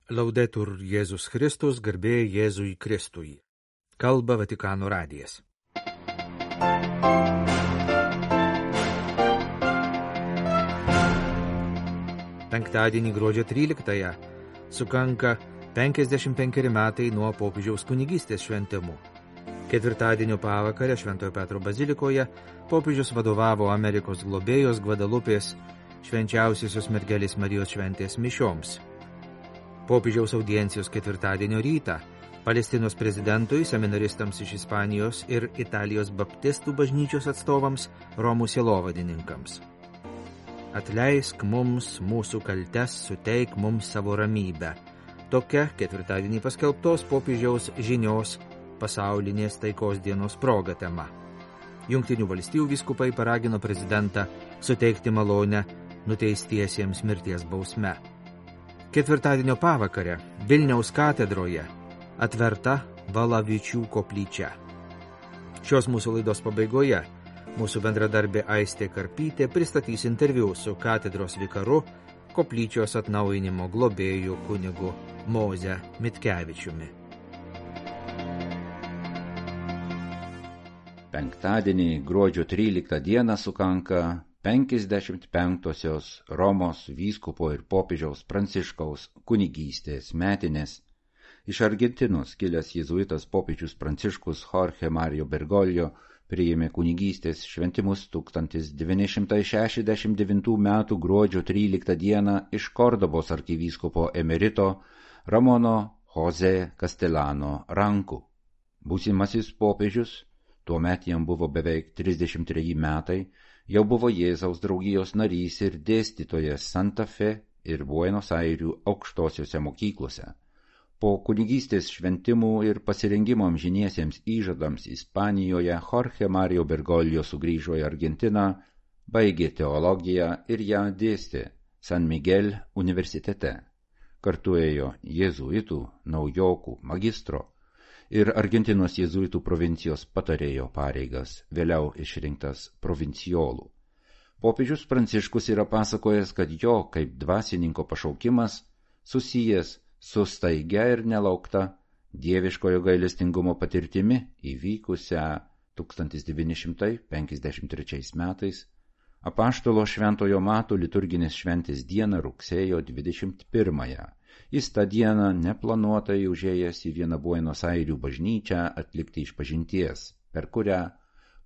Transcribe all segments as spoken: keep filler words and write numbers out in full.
Laudetur Jėzus Kristus, garbė Jėzui Kristui. Kalba Vatikano radijas. Penktadienį gruodžio tryliktąją sukanka penkiasdešimt penkeri metai nuo popiežiaus kunigystės šventimų. Ketvirtadienio pavakarę Šventojo Petro bazilikoje popiežius vadovavo Amerikos globėjos Gvadalupės švenčiausiosios mergelės Marijos šventės mišioms. Popiežiaus audiencijos ketvirtadienio rytą Palestinos prezidentui, seminaristams iš Ispanijos ir Italijos baptistų bažnyčios atstovams, Romų sielovadininkams. Atleisk mums mūsų kaltes, suteik mums savo ramybę. Tokia ketvirtadienį paskelbtos popiežiaus žinios pasaulinės taikos dienos proga tema. Jungtinių valstijų vyskupai paragino prezidentą suteikti malonę nuteistiesiems mirties bausme. Ketvirtadienio pavakarę Vilniaus katedroje atverta Valavičių koplyčia. Šios mūsų laidos pabaigoje mūsų bendradarbė Aistė Karpytė pristatys interviu su katedros vikaru, koplyčios atnaujinimo globėju kunigu Moze Mitkevičiumi. Penktadienį gruodžio tryliktą dieną sukanka penkiasdešimt penktosios Romos vyskupo ir popiežiaus Pranciškaus kunigystės metinės. Iš Argentinos kilęs jėzuitas popiežius Pranciškus Jorge Mario Bergoglio priėmė kunigystės šventimus tūkstantis devyni šimtai šešiasdešimt devintų metų gruodžio tryliktą dieną iš Kordobos arkivyskupo emerito Ramono Jose Castellano rankų. Būsimasis popiežius, tuomet jam buvo beveik trisdešimt treji metai, jau buvo Jėzaus draugijos narys ir dėstytojas Santa Fe ir Buenos Airių aukštosiuose mokyklose. Po kunigystės šventimų ir pasirengimo amžiniesiems įžadams Ispanijoje Jorge Mario Bergoglio sugrįžo į Argentiną, baigė teologiją ir ją dėstė San Miguel universitete. Kartu ėjo jėzuitų, naujokų, magistro ir Argentinos jėzuitų provincijos patarėjo pareigas, vėliau išrinktas provincijolų. Popiežius Pranciškus yra pasakojęs, kad jo kaip dvasininko pašaukimas susijęs su staigia ir nelaukta dieviškojo gailestingumo patirtimi įvykusią tūkstantis devyni šimtai penkiasdešimt trečiais metais apaštalo Šventojo Mato liturginės šventės dieną rugsėjo dvidešimt pirmąją. Jis tą dieną neplanuotai užėjęs į vieną Buenos Airių bažnyčią atlikti išpažinties, per kurią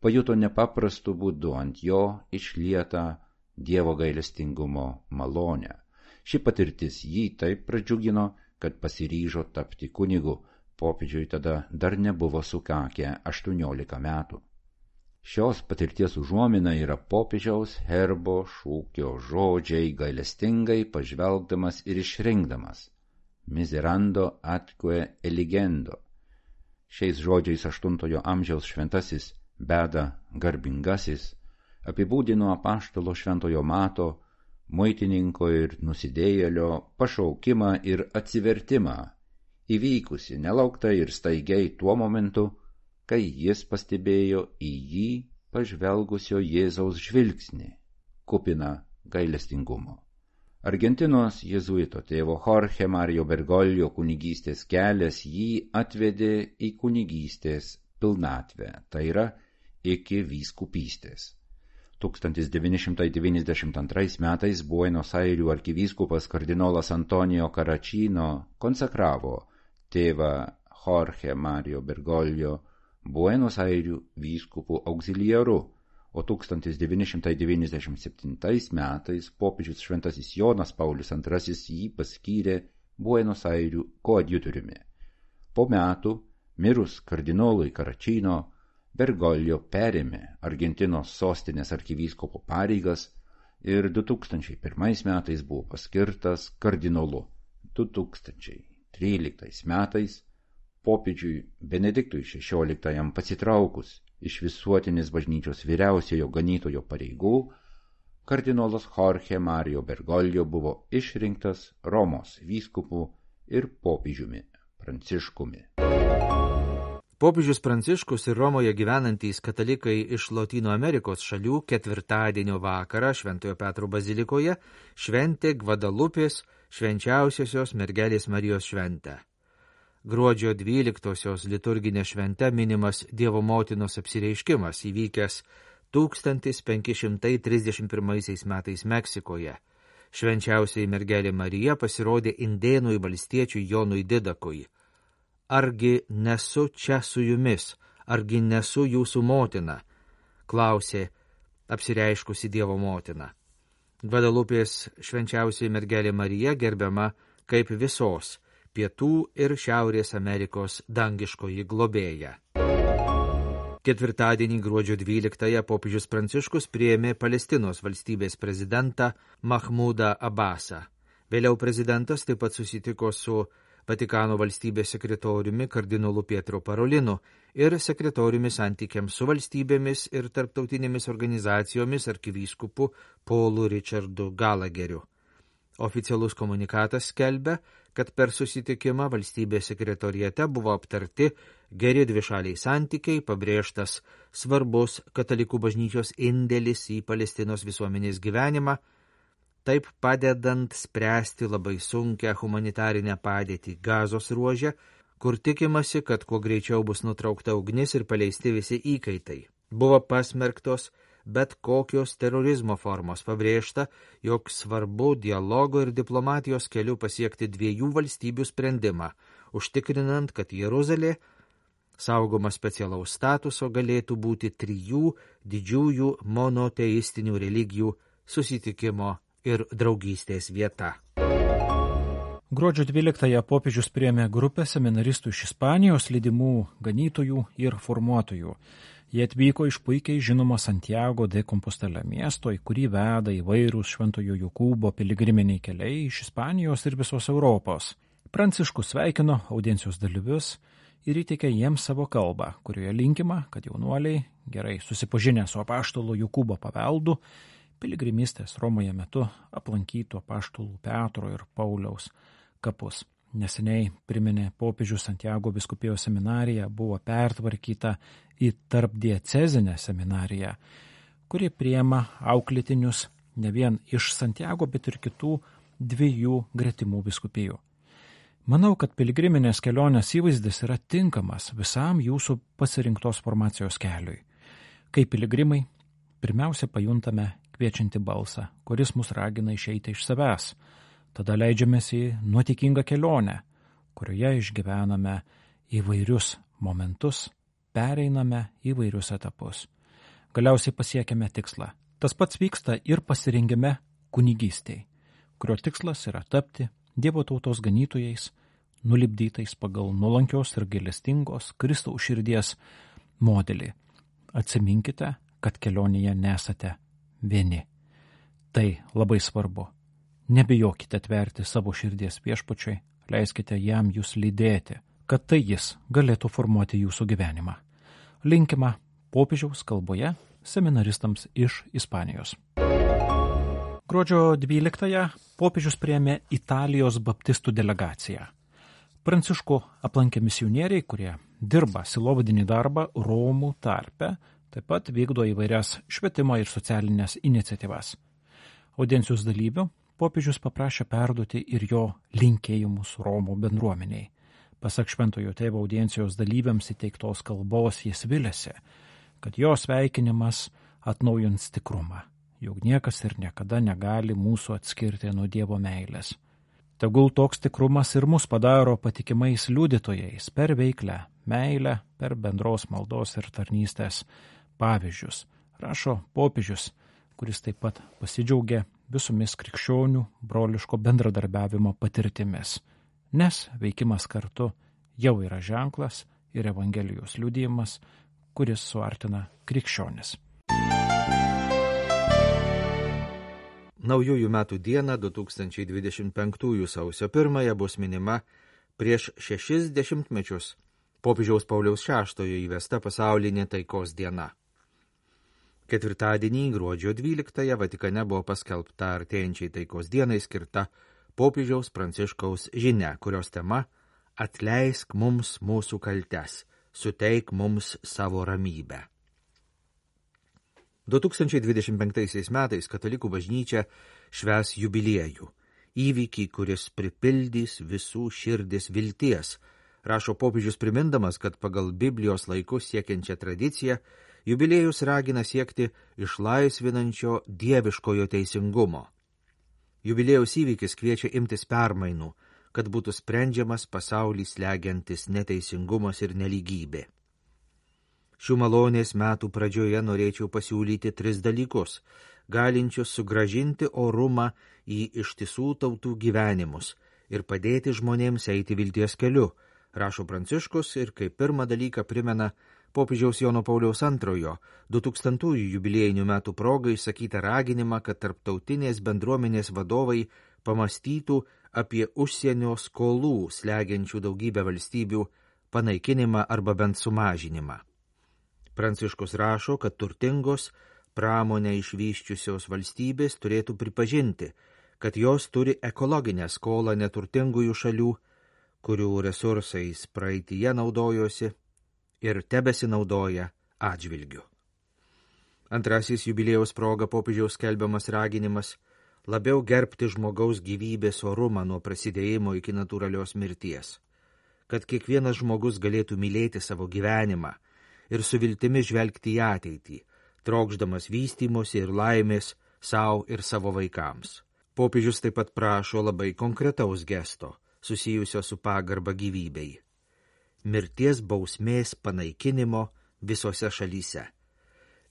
pajuto nepaprastu būdu ant jo išlietą Dievo gailestingumo malonę. Ši patirtis jį taip pradžiugino, kad pasiryžo tapti kunigu. Popiežiui tada dar nebuvo sukakę aštuoniolika metų. Šios patirties užuomina yra popiežiaus herbo šūkio žodžiai gailestingai pažvelgdamas ir išrinkdamas. Miserando atque eligendo. Šiais žodžiais aštuntojo amžiaus šventasis Beda garbingasis apibūdino apaštalo Šventojo Mato, muitininko ir nusidėjėlio pašaukimą ir atsivertimą, įvykusi nelauktai ir staigiai tuo momentu, kai jis pastebėjo į jį pažvelgusio Jėzaus žvilgsnį, kupiną gailestingumo. Argentinos jėzuito tėvo Jorge Mario Bergoglio kunigystės kelias jį atvedė į kunigystės pilnatvę, tai yra iki vyskupystės. tūkstantis devyni šimtai devyniasdešimt antrais metais Buenos Airių arkivyskupas kardinolas Antonijo Caracino konsekravo tėvą Jorge Mario Bergoglio Buenos Airių vyskupų auxiliaru, o tūkstantis devyni šimtai devyniasdešimt septintais metais popiežius šventasis Jonas Paulius antrasis jį paskyrė Buenos Airių koadjutoriumi. Po metų, mirus kardinolui Caracino, Bergoglio perėmė Argentinos sostinės arkivyskupo pareigas ir du tūkstančiai pirmais metais buvo paskirtas kardinolu. du tūkstančiai tryliktais metais popiežiui Benediktui šešioliktajam pasitraukus iš visuotinės bažnyčios vyriausiojo ganytojo pareigų, kardinolas Jorge Mario Bergoglio buvo išrinktas Romos vyskupu ir popiežiumi Pranciškumi. Popiežius Pranciškus ir Romoje gyvenantys katalikai iš Lotynų Amerikos šalių ketvirtadienio vakarą Šventojo Petro bazilikoje šventė Gvadalupės švenčiausiosios mergelės Marijos šventę. Gruodžio dvyliktosios liturginė švente minimas Dievo motinos apsireiškimas įvykęs tūkstantis penki šimtai trisdešimt pirmaisiais metais Meksikoje. Švenčiausiai mergelė Marija pasirodė indėnui valstiečiui Jonui Didakui. Argi nesu čia su jumis, argi nesu jūsų motina, klausė apsireiškusi Dievo motina. Gvadalupės švenčiausiai mergelė Marija gerbiama kaip visos Pietų ir Šiaurės Amerikos dangiškoji globėja. Ketvirtadienį gruodžio dvyliktąją popiežius Pranciškus priėmė Palestinos valstybės prezidentą Mahmudą Abbasą. Vėliau prezidentas taip pat susitiko su Vatikano valstybės sekretoriumi kardinolu Pietro Parolinu ir sekretoriumi santykiams su valstybėmis ir tarptautinėmis organizacijomis arkivyskupu Paulu Richardu Gallagheriu. Oficialus komunikatas skelbia, kad per susitikimą valstybės sekretoriate buvo aptarti geri dvišaliai santykiai, pabrėžtas svarbus katalikų bažnyčios indėlis į Palestinos visuomenės gyvenimą, taip padedant spręsti labai sunkią humanitarinę padėtį Gazos ruože, kur tikimasi, kad kuo greičiau bus nutraukta ugnis ir paleisti visi įkaitai. Buvo pasmerktos bet kokios terorizmo formos, pabrėžta, jog svarbu dialogo ir diplomatijos keliu pasiekti dviejų valstybių sprendimą, užtikrinant, kad Jeruzalė, saugoma specialaus statuso, galėtų būti trijų didžiųjų monoteistinių religijų susitikimo ir draugystės vieta. Gruodžio dvyliktąją popiežius priėmė grupę seminaristų iš Ispanijos, lydimų ganytojų ir formuotojų. Jie atvyko iš puikiai žinomo Santiago de Compostela miesto, į kurį veda įvairūs Šventojo Jokūbo piligriminiai keliai iš Ispanijos ir visos Europos. Pranciškus sveikino audiencijos dalyvius ir įteikė jiems savo kalbą, kurioje linkima, kad jaunuoliai, gerai susipažinę su apaštalo Jokūbo paveldu, piligrimystės Romoje metu aplankytų apaštalų Petro ir Pauliaus kapus. Neseniai priminė popiežius Santiago vyskupijos seminarija buvo pertvarkyta į tarpdiecezinę seminariją, kuri priima auklėtinius ne vien iš Santiago, bet ir kitų dviejų gretimų vyskupijų. Manau, kad piligriminės kelionės įvaizdis yra tinkamas visam jūsų pasirinktos formacijos keliui. Kaip piligrimai, pirmiausia pajuntame kviečiantį balsą, kuris mus ragina išeiti iš savęs. Tada leidžiamės į nuotikingą kelionę, kurioje išgyvename įvairius momentus, pereiname įvairius etapus. Galiausiai pasiekėme tikslą. Tas pats vyksta ir pasirengime kunigystei, kurio tikslas yra tapti Dievo tautos ganytojais, nulipdytais pagal nuolankios ir gailestingos Kristaus širdies modelį. Atsiminkite, kad kelionėje nesate vieni. Tai labai svarbu. Nebijokite atverti savo širdies viešpačiui, leiskite jam jūs lydėti, kad tai jis galėtų formuoti jūsų gyvenimą. Linkima popiežiaus kalboje seminaristams iš Ispanijos. Gruodžio dvyliktąją popiežius priėmė Italijos baptistų delegaciją. Pranciškų aplankė misionieriai, kurie dirba silovadinį darbą Romų tarpe, taip pat vykdo įvairias švietimo ir socialinės iniciatyvas. Audiencijos dalyvių popiežius paprašė perduoti ir jo linkėjimus Romų bendruomeniai. Pasak Šventojo Tėvo audiencijos dalyviams įteiktos kalbos jis vilėsi, kad jo sveikinimas atnaujins tikrumą, jog niekas ir niekada negali mūsų atskirti nuo Dievo meilės. Tegul toks tikrumas ir mus padaro patikimais liudytojais per veiklę, meilę, per bendros maldos ir tarnystės pavyzdžius, rašo popiežius, kuris taip pat pasidžiaugė visomis krikščionių broliško bendradarbiavimo patirtimis, nes veikimas kartu jau yra ženklas ir Evangelijos liudijimas, kuris suartina krikščionis. Naujųjų metų dieną du tūkstančiai dvidešimt penktųjų sausio pirmąją bus minima prieš šešis dešimtmečius popiežiaus Pauliaus šeštojo įvesta pasaulinė taikos diena. Ketvirtadienį gruodžio dvyliktąją Vatikane buvo paskelbta artėjančiai taikos dienai skirta popiežiaus Pranciškaus žinia, kurios tema Atleisk mums mūsų kaltes, suteik mums savo ramybę. du tūkstančiai dvidešimt penktaisiais metais katalikų bažnyčia švęs jubiliejų. įvykį, kuris pripildys visų širdis vilties, rašo popiežius primindamas, kad pagal Biblijos laikus siekiančią tradiciją jubiliejus ragina siekti išlaisvinančio dieviškojo teisingumo. Jubiliejaus įvykis kviečia imtis permainų, kad būtų sprendžiamas pasaulį slegiantis neteisingumas ir nelygybė. Šių malonės metų pradžioje norėčiau pasiūlyti tris dalykus, galinčius sugrąžinti orumą į ištisų tautų gyvenimus ir padėti žmonėms eiti vilties keliu, rašo Pranciškus ir kaip pirmą dalyką primena popiežiaus Jono Pauliaus antrojo du tūkstantųjų jubiliejinių metų progai išsakytą raginimą, kad tarptautinės bendruomenės vadovai pamastytų apie užsienio skolų slegiančių daugybę valstybių panaikinimą arba bent sumažinimą. Pranciškus rašo, kad turtingos pramonę išvyščiusios valstybės turėtų pripažinti, kad jos turi ekologinę skolą neturtingųjų šalių, kurių resursais praeityje naudojosi ir tebesinaudoja atžvilgiu. Antrasis jubiliejaus proga popiežiaus skelbiamas raginimas labiau gerbti žmogaus gyvybės orumą nuo prasidėjimo iki natūralios mirties, kad kiekvienas žmogus galėtų mylėti savo gyvenimą ir su viltimi žvelgti į ateitį, trokšdamas vystymosi ir laimės sau ir savo vaikams. Popiežius taip pat prašo labai konkretaus gesto, susijusio su pagarba gyvybei. Mirties bausmės panaikinimo visose šalyse.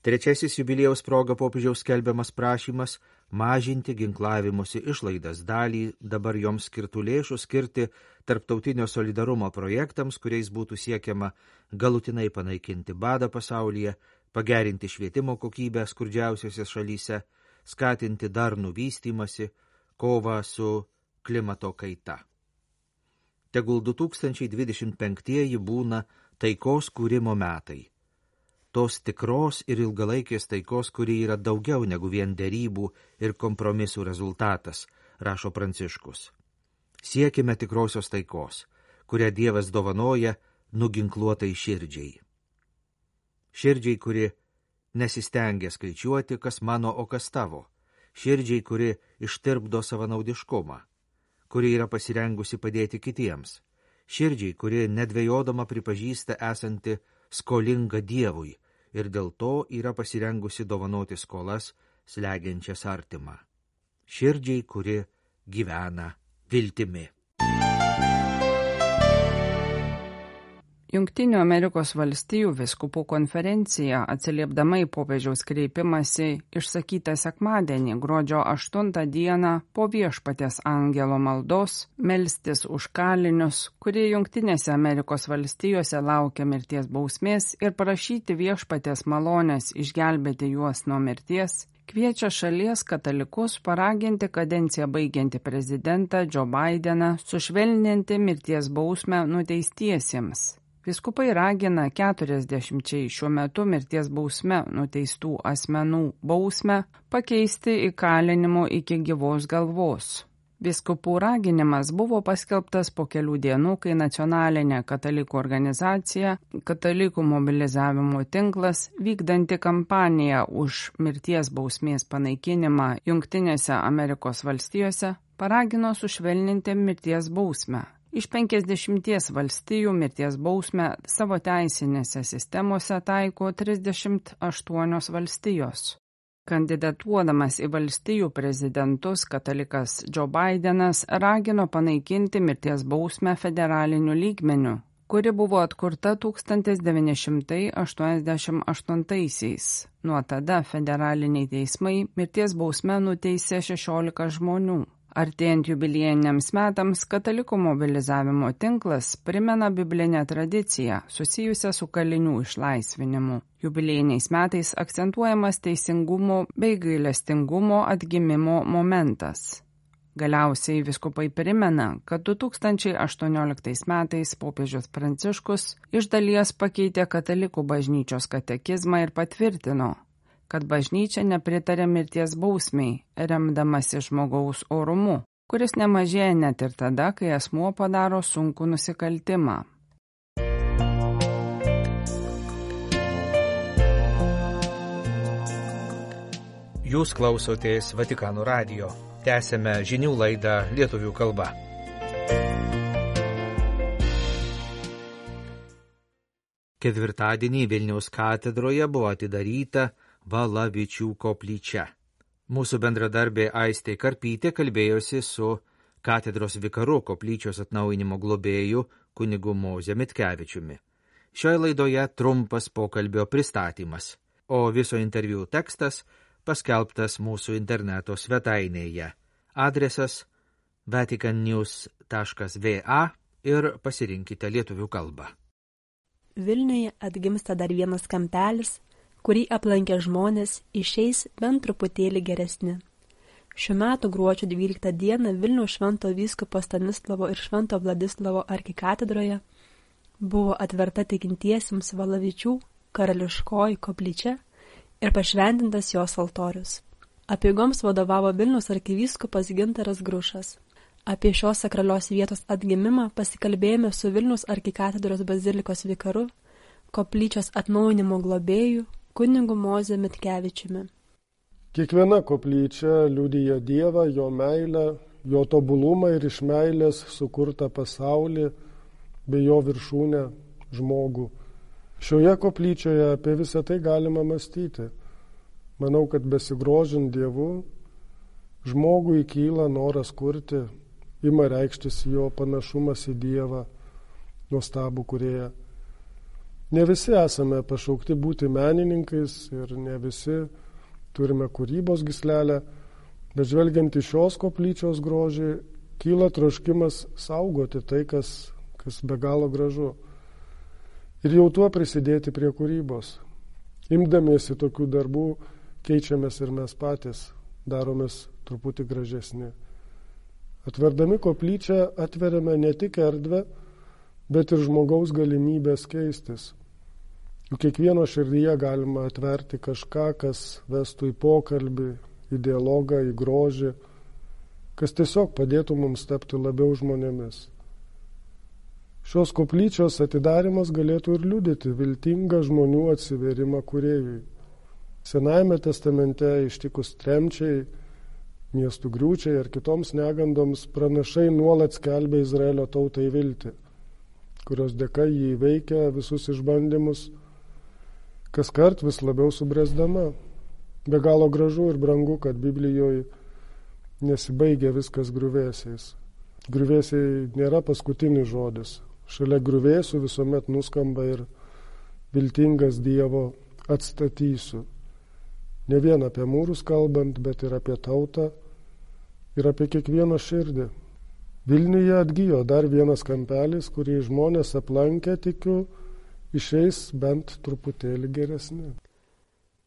Trečiasis jubiliejaus proga popiežiaus skelbiamas prašymas mažinti ginklavimosi išlaidas, dalį dabar joms skirtų lėšų skirti tarptautinio solidarumo projektams, kuriais būtų siekiama galutinai panaikinti badą pasaulyje, pagerinti švietimo kokybę skurdžiausiose šalyse, skatinti darnų vystymasi, kovą su klimato kaita. Tegul du tūkstančiai dvidešimt penktieji būna taikos kūrimo metai. Tos tikros ir ilgalaikės taikos, kuri yra daugiau negu vien derybų ir kompromisų rezultatas, rašo Pranciškus. Siekime tikrosios taikos, kurią Dievas dovanoja nuginkluotai širdžiai. Širdžiai, kuri nesistengia skaičiuoti, kas mano, o kas tavo. Širdžiai, kuri ištirpdo savanaudiškumą, kuri yra pasirengusi padėti kitiems. Širdžiai, kuri nedvejodama pripažįsta esanti skolinga Dievui ir dėl to yra pasirengusi dovanoti skolas slegiančias artimą. Širdžiai, kuri gyvena viltimi. Jungtinių Amerikos valstijų vyskupų konferencija, atsiliepdama į popiežiaus kreipimąsi, išsakytą sekmadienį, gruodžio aštuntą dieną, po Viešpaties angelo maldos, melstis už kalinius, kurie Jungtinėse Amerikos valstijose laukia mirties bausmės ir prašyti Viešpaties malonės išgelbėti juos nuo mirties, kviečia šalies katalikus paraginti kadenciją baigiantį prezidentą Joe Bideną sušvelninti mirties bausmę nuteistiesiems. Vyskupai ragina keturiasdešimčiai šiuo metu mirties bausme nuteistų asmenų bausmę pakeisti įkalinimu iki gyvos galvos. Vyskupų raginimas buvo paskelbtas po kelių dienų, kai nacionalinė katalikų organizacija, katalikų mobilizavimo tinklas, vykdanti kampaniją už mirties bausmės panaikinimą Jungtinėse Amerikos valstijose, paragino sušvelninti mirties bausmę. Iš penkiasdešimties valstijų mirties bausmę savo teisinėse sistemose taiko trisdešimt aštuonios valstijos. Kandidatuodamas į valstijų prezidentus, katalikas Joe Bidenas ragino panaikinti mirties bausmę federaliniu lygmeniu, kuri buvo atkurta tūkstantis devyni šimtai aštuoniasdešimt aštuntaisiais. Nuo tada federaliniai teismai mirties bausmę nuteisė šešiolika žmonių. Artėjant jubiliejiniams metams, katalikų mobilizavimo tinklas primena biblinę tradiciją susijusią su kalinių išlaisvinimu. Jubiliejiniais metais akcentuojamas teisingumo bei gailestingumo atgimimo momentas. Galiausiai vyskupai primena, kad du tūkstančiai aštuonioliktais metais popiežius Pranciškus iš dalies pakeitė katalikų bažnyčios katekizmą ir patvirtino, kad bažnyčia nepritarė mirties bausmei, remdamasi žmogaus orumu, kuris nemažėja net ir tada, kai asmuo padaro sunkų nusikaltimą. Jūs klausotės Vatikano radijo. Tęsėme žinių laidą lietuvių kalba. Ketvirtadienį Vilniaus katedroje buvo atidaryta Valavičių koplyčia. Mūsų bendradarbė Aistė Karpytė kalbėjosi su katedros vikaru koplyčios atnaujinimo globėju kunigu Moze Mitkevičiumi. Šioje laidoje trumpas pokalbio pristatymas, o viso interviu tekstas paskelbtas mūsų interneto svetainėje. Adresas vatican news taškas v a ir pasirinkite lietuvių kalbą. Vilniuje atgimsta dar vienas kampelis, kurį aplankę žmonės išeis bent truputėlį geresni. Šiuo metu gruodžio dvyliktą dieną Vilniaus švento vyskupo Stanislovo ir švento Vladislavo arkikatedroje buvo atverta tikintiesiems Valavičių karališkoji koplyčia ir pašventintas jos altorius. Apeigoms vadovavo Vilniaus arkivyskupas Gintaras Grušas. Apie šios sakralios vietos atgimimą pasikalbėjome su Vilniaus arkikatedros bazilikos vikaru, koplyčios atnaujinimo globėju, kunigu Moze Mitkevičiumi. Kiekviena koplyčia liudija Dievą, jo meilę, jo tobulumą ir iš meilės sukurtą pasaulį bei jo viršūnę žmogų. Šioje koplyčioje apie visą tai galima mąstyti. Manau, kad besigrožint Dievu, žmogui kyla noras kurti, ima reikštis jo panašumas į Dievą, nuostabų kūrėją. Ne visi esame pašaukti būti menininkais ir ne visi turime kūrybos gyslelę, bet žvelgiant į šios koplyčios grožį, kyla troškimas saugoti tai, kas, kas be galo gražu. Ir jau tuo prisidėti prie kūrybos. Imdamiesi tokių darbų, keičiamės ir mes patys, daromės truputį gražesni. Atverdami koplyčią atveriame ne tik erdvę, bet ir žmogaus galimybės keistis. Juk kiekvieno širdyje galima atverti kažką, kas vestų į pokalbį, į dialogą, į grožį, kas tiesiog padėtų mums tapti labiau žmonėmis. Šios koplyčios atidarimas galėtų ir liudyti viltingą žmonių atsiverimą kūrėjui. Senajame testamente ištikus tremčiai, miestų griūčiai ar kitoms negandoms pranašai nuolat skelbia Izraelio tautai viltį, kurios dėka jį įveikia visus išbandymus, kaskart vis labiau subręsdama. Be galo gražu ir brangu, kad Biblijoje nesibaigia viskas griuvėsiais. Griuvėsiai nėra paskutinis žodis. Šalia griuvėsių visuomet nuskamba ir viltingas Dievo atstatysiu. Ne vien apie mūrus kalbant, bet ir apie tautą ir apie kiekvieno širdį. Vilniuje atgijo dar vienas kampelis, kurį žmonės aplankę, tikiu, išeis bent truputėlį geresni.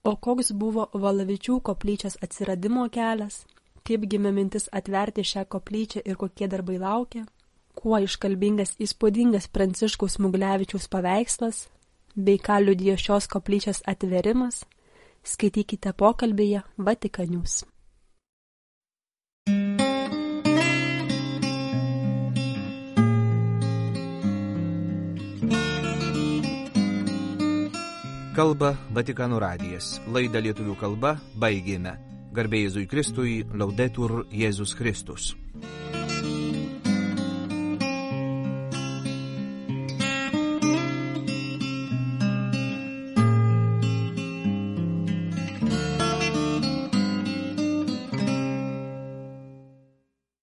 O koks buvo Valavičių koplyčios atsiradimo kelias? Kaip gimė mintis atverti šią koplyčią ir kokie darbai laukia? Kuo iškalbingas įspūdingas Pranciškaus Smuglevičiaus paveikslas, bei ką liudijo šios koplyčios atverimas, skaitykite pokalbėje Vatican News. Kalba Vatikano radijas. Laidą lietuvių kalba baigėme. Garbė Jėzui Kristui, Laudetur Jėzus Kristus.